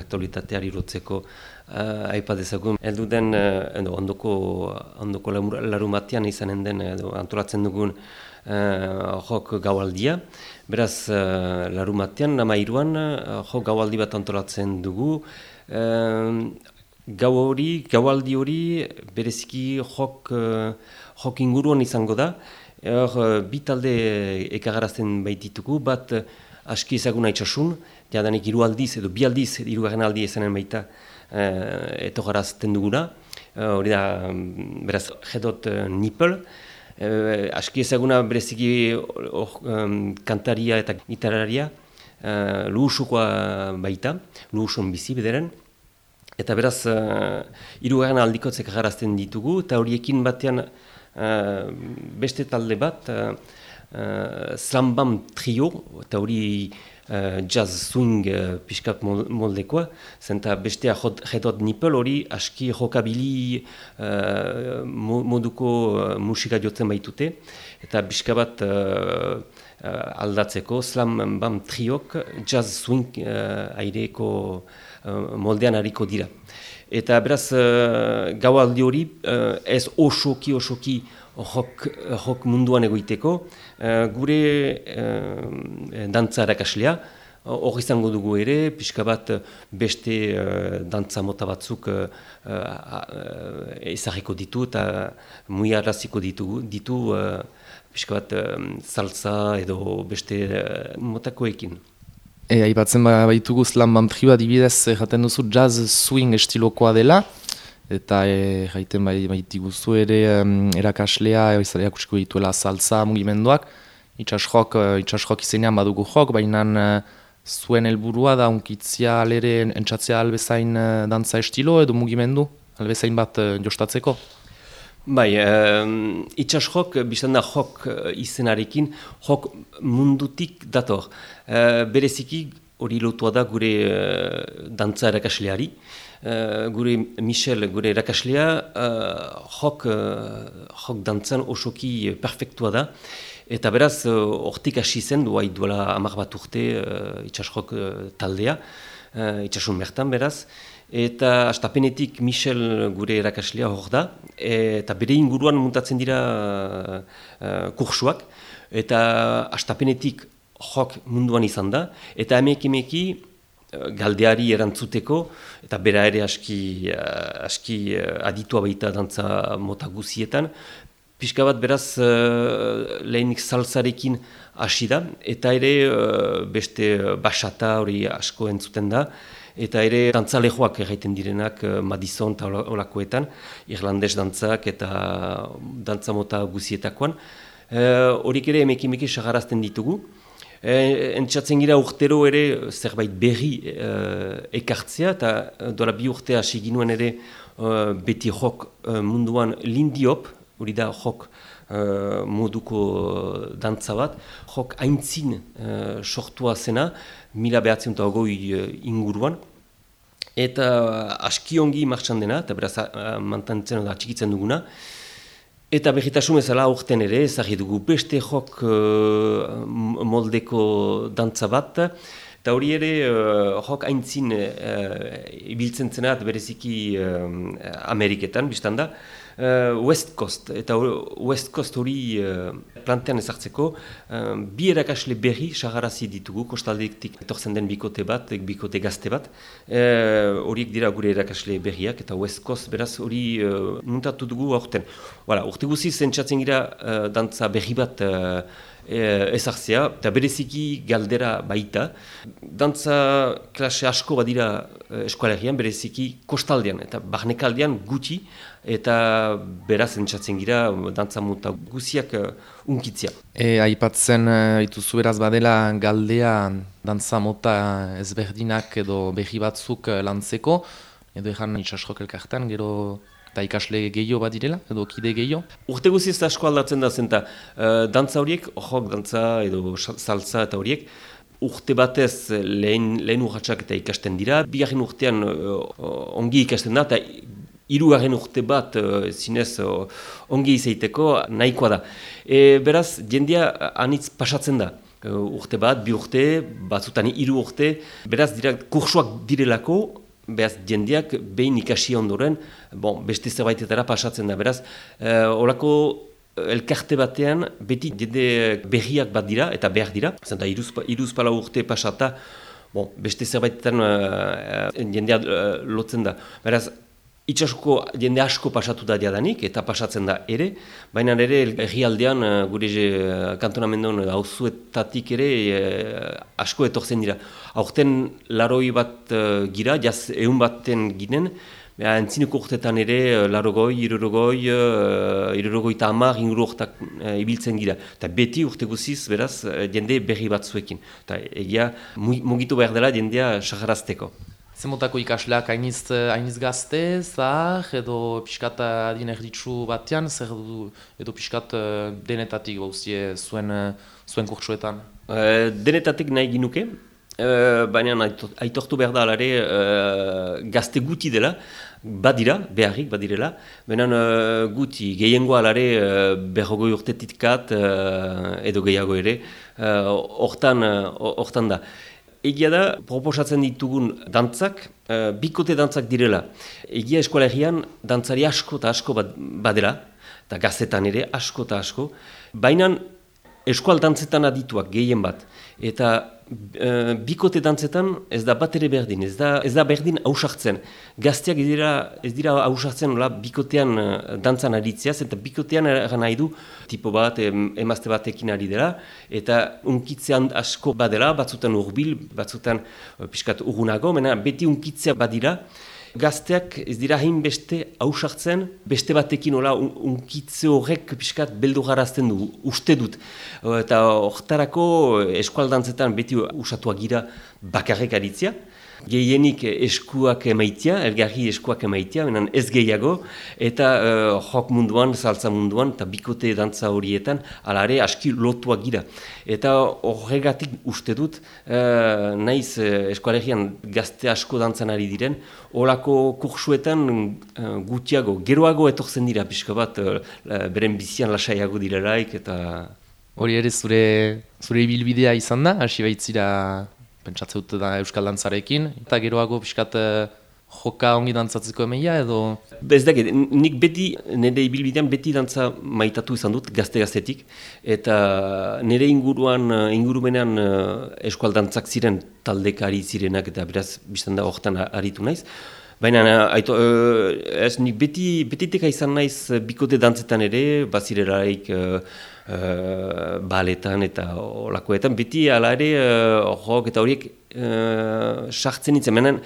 aktualitateari lotzeko aipadezagun. Elduden ondoko larumatean izanen den antolatzen dugun jok gaualdia. Beraz, larumatean, 13an, jok gaualdi bat antolatzen dugu. Gaualdi hori bereziki jok inguruan izango da. Bi talde ekagarazten baititugu, bat aski ezaguna itxasun, jadanik 3 aldiz edo 2 aldiz, 3. aldi ezanen baita etogarazten duguna. Hori da, beraz, Hedot Nipel. Aski ezaguna bereziki kantaria eta gitarraria, luhusukoa baita, luhusun bizi bederen. Eta beraz, 3. aldikotzek ekagarazten ditugu, eta horiekin batean beste talde bat, Slam Bam Trio, eta hori jazz swing pixkat moldekoa, zenta bestea Hedot Nipel hori aski jokabili moduko musika jotzen baitute, eta pixka bat aldatzeko Slam Bam Triok jazz swing aireko moldean hariko dira. Eta beraz, gaualdi hori ez osoki jok munduan egoiteko, gure dantza erakaslea, hor izango dugu ere, pixka bat beste dantza mota batzuk ezagiko ditu eta muiaraziko ditu pixka bat salsa edo beste motakoekin. Aipatzen baitugu Slam Bam Trio adibidez, jaten duzu jazz swing estilokoa dela, eta jaiten baitiguzu ere erakaslea, erakutsiko dituela salsa mugimenduak, itxasjok izenean badugu jok, baina zuen helburua da unkitzia alere entzatzea albezain dantza estilo edo mugimendu, albezain bat jostatzeko? Bai, itxasjok, biztan da jok izenarekin, jok mundutik dator. Bereziki hori lotua da gure dantza erakasleari. Gure Michel, gure erakaslea, jok dantzan osoki perfektua da. Eta beraz, hortik hasi zen, duela 10 bat urte itxasjok taldea, itxasun bertan beraz. Eta astapenetik Michel gure erakaslea hor da, eta bere inguruan muntatzen dira kursuak, eta astapenetik jok munduan izan da, eta emeki galdeari erantzuteko, eta bera ere aski aditua baita dantza mota guzietan, pixka bat beraz lehenik salsarekin hasi da, eta ere beste basata hori asko entzuten da, eta ere dantzalejoak egiten direnak Madison eta olakoetan, irlandes dantzak eta dantza mota guzietakoan. Horik ere emeki sagarazten ditugu. Entzatzen gira urtero ere zerbait berri ekartzea, eta dola 2 urte hasi ginuen ere beti jok munduan lindiop, hori da jok moduko dantza bat, jok aintzin sortua zena, 1920 inguruan, eta aski ongi martxan dena, eta beraz mantentzen da txikitzen duguna, eta berritasun ezala aurten ere, ezagri dugu beste jok moldeko dantza bat, eta hori ere jok aintzin ibiltzen zenat bereziki Ameriketan, biztan da, West Coast, eta West Coast hori plantean ezartzeko, 2 erakasle berri sagarazi ditugu, kostaldetik etortzen den bikote gazte bat, horiek dira gure erakasle berriak, eta West Coast beraz hori muntatu dugu aurten. Urte guziz zentsatzen gira dantza berri bat ezartzea, eta bereziki galdera baita. Dantza klase asko badira eskualerian, bereziki kostaldean, eta barnekaldean gutxi, eta beraz entzatzen gira dantza mota guziak unkitzia. Aipatzen dituzu beraz badela galdea dantza mota ezberdinak edo berri batzuk lantzeko, edo egan itxasjok elkartan, gero eta ikasle gehiago bat direla, edo kide gehiago? Urte guziz asko aldatzen da zenta, dantza horiek, jok dantza edo salsa eta horiek, urte batez lehen urratsak eta ikasten dira, 2. urtean ongi ikasten da, eta 3. urte bat zinez ongi izaiteko nahikoa da. Beraz, jendea anitz pasatzen da. urte bat, 2 urte, batzutan 3 urte, beraz dira kursuak direlako, beraz jendeak behin ikasi ondoren, beste zerbaitetara pasatzen da, beraz, olako elkarte batean beti jende berriak bat dira eta behar dira, zenta 3-4 urte pasata, beste zerbaitetan jendea lotzen da. Beraz, itxasuko jende asko pasatu da diadanik eta pasatzen da ere, baina ere herrialdean gure kantonamendon auzuetatik ere asko etortzen dira. Aurten 80 bat gira, jaz 100 baten ginen, entzineko urtetan ere 80, 60, 70 inguru urtak ibiltzen gira. Eta beti urte guziz, beraz, jende berri batzuekin. Eta egia mugitu behar dela jendea saharazteko. Zemotako ikasleak hainiz gazte, zahar, edo pixkat adin erditsu batean, zer edo pixkat denetatik bauzie zuen kurtsuetan? Denetatik nahi ginuke, baina aitortu behar da alare gazte guti dela, beharrik badirela, baina guti gehiengoa alare 40 urtetitkat edo gehiago ere, hortan da. Egia da, proposatzen ditugun dantzak, bikote dantzak direla. Egia eskolegian dantzari asko eta asko badela, eta gaztetan ere asko eta asko. Baina eskual dantzetan adituak gehien bat. Eta bikote dantzetan ez da bat ere berdin, ez da berdin hausartzen. Gazteak ez dira hausartzen bikotean dantzan aritzeaz, eta bikotean nahi du tipo bat, emazte batekin ari dela, eta unkitzean asko badela, batzutan urbil, batzutan pixkat urgunago, beti unkitzea badira. Gazteak ez dira hain beste hausartzen, beste batekin unkitze horrek pixkat beldurgarazten du, uste dut. Eta horretarako eskualdantzetan beti usatuak gira bakarrik aritzea. Gehienik eskuak emaitia, elgarri eskuak emaitia, ez gehiago, eta jok munduan, saltza munduan, eta bikote dantza horietan, alare aski lotuak gira. Eta horregatik uste dut, naiz eskualegian gazte asko dantzan ari diren, horako kursuetan gutiago, geroago etortzen dira, pixka bat, beren bizian lasaiago direlaik, eta... Hori ere zure ibilbidea izan da, hasi baitzira... Pentsatze dut da euskal dantzarekin, eta geroago pixkat joka ongi dantzatzeko emeia edo... Ez dakit, nik beti, nire ibilbidean beti dantza maitatu izan dut, gazte-gaztetik, eta nire ingurumenean eskual dantzak ziren taldekari zirenak, eta beraz, biztan da horretan aritu naiz. Baina, nik betiteka izan naiz bikote dantzetan ere, bazirelaik... baletan eta olakoetan, beti ala ere jok eta horiek sartzen nintzen. Menen,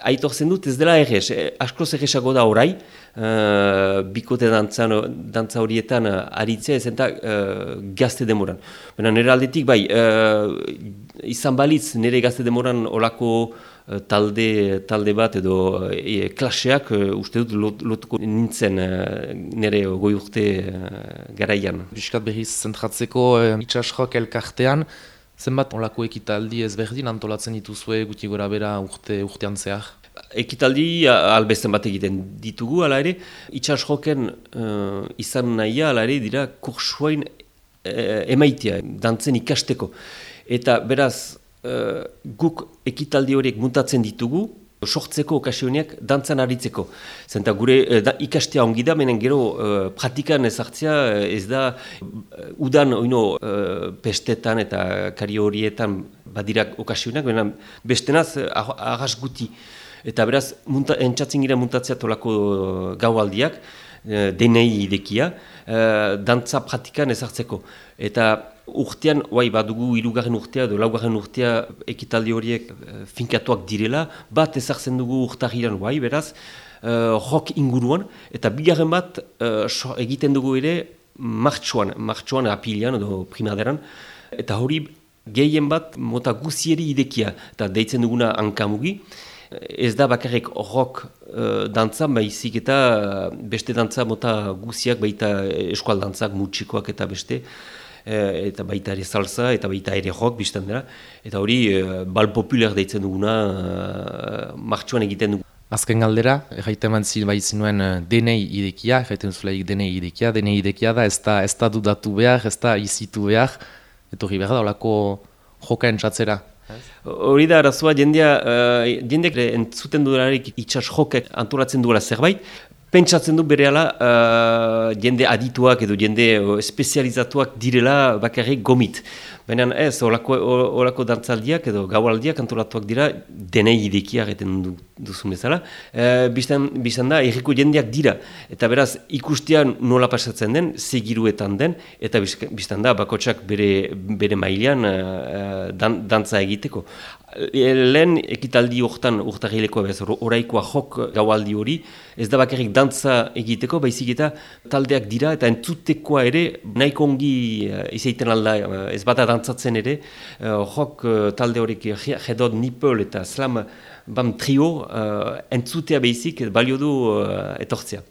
aitortzen dut ez dela errez, askoz errezago da orai, bikote dantza horietan aritzea ez eta gazte demoran. Baina nire aldetik bai, izan balitz nire gazte demoran olako talde bat edo klaseak uste dut lotuko nintzen nire goi urte garaian. Biskat berriz zentratzeko itxasjok elkartean, zenbat olako ekitaldi ezberdin antolatzen dituzue guti gora bera urtean zehar? Ekitaldi albezen bat egiten ditugu, ala ere, itxasjoken izan nahia, ala ere, dira kursuain emaitia, dantzen ikasteko. Eta beraz, guk ekitaldi horiek muntatzen ditugu, sortzeko okasioneak dantzan aritzeko. Zenta gure ikastea ongi da, menen gero praktikan ezartzea ez da udan pestetan eta kari horietan badirak okasioneak, menen bestenaz arras guti. Eta beraz, entzatzen gira muntatzea tolako gaualdiak, denei idekia, dantza praktikan ezartzeko. Eta urtean, badugu 3. urtea edo 4. urtea ekitaldi horiek finkatuak direla, bat ezartzen dugu urtahiran, beraz, rock inguruan, eta 2. bat egiten dugu ere martxoan apilian edo primaderan, eta hori gehien bat mota guzieri idekia, eta deitzen duguna hankamugi. Ez da bakarrik rock dantza, baizik eta beste dantza mota guziak, baita eskual dantzak, mutxikoak eta beste, eta baita ere salsa, eta baita ere rock biztan dira. Eta hori bal popular deitzen duguna martxoan egiten dugu. Azken galdera, erraiten mantzin baizinuen denei idekia, erraiten zulaik denei idekia da ez da dudatu behar, ez da izitu behar, etorri behar da, olako joka entzatzera. Hori da arazoa, jendeak entzuten duelarik itsas jokek antolatzen duela zerbait, pentsatzen du berehala jende adituak edo jende espezializatuak direla bakarrik gomit. Baina ez, olako dantzaldiak edo gaualdiak antolatuak dira denei idekia egiten duzun bezala. Biztan da, erriko jendeak dira. Eta beraz, ikustean nola pasatzen den, segiruetan den, eta biztan da, bakotsak bere mailean dantza egiteko. Lehen ekitaldi hortan urtarrilekoa bez, oraikoa jok gaualdi hori, ez da bakarrik dantza egiteko, baizik eta taldeak dira, eta entzutekoa ere, nahiko ongi izaiten alda, ez bata dantzatzen ere, jok talde horik Hedod, Nipple eta Slam Bam Trio, entzutea behizik balio du etortzea.